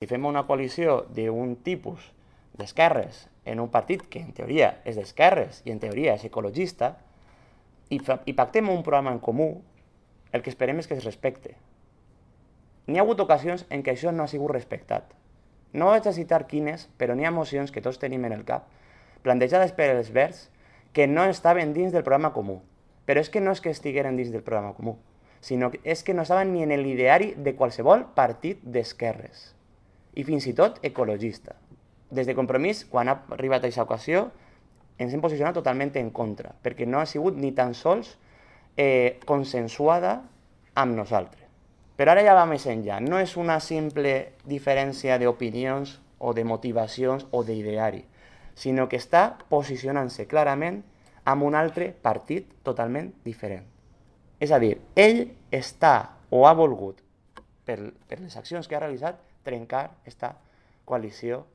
Si fem una coalició d'un tipus d'esquerres en un partit que en teoria és d'esquerres i en teoria és ecologista, i pactem un programa en comú, el que esperem és que es respecte. N'hi ha hagut ocasions en què això no ha sigut respectat. No vaig a citar quines, però n'hi ha mocions que tots tenim en el cap, plantejades per els Verds, que no estaven dins del programa comú. Però és que no és que estigueren dins del programa comú, sinó que és que no estaven ni en l'ideari de qualsevol partit d'esquerres. I fins i tot ecologista. Des de Compromís, quan ha arribat a aquesta ocasió, ens hem posicionat totalment en contra, perquè no ha sigut ni tan sols consensuada amb nosaltres. Però ara ja va més enllà. No és una simple diferència d'opinions o de motivacions o d'ideari, sinó que està posicionant-se clarament amb un altre partit totalment diferent. És a dir, ell està o ha volgut, per les accions que ha realitzat, trencar aquesta coalició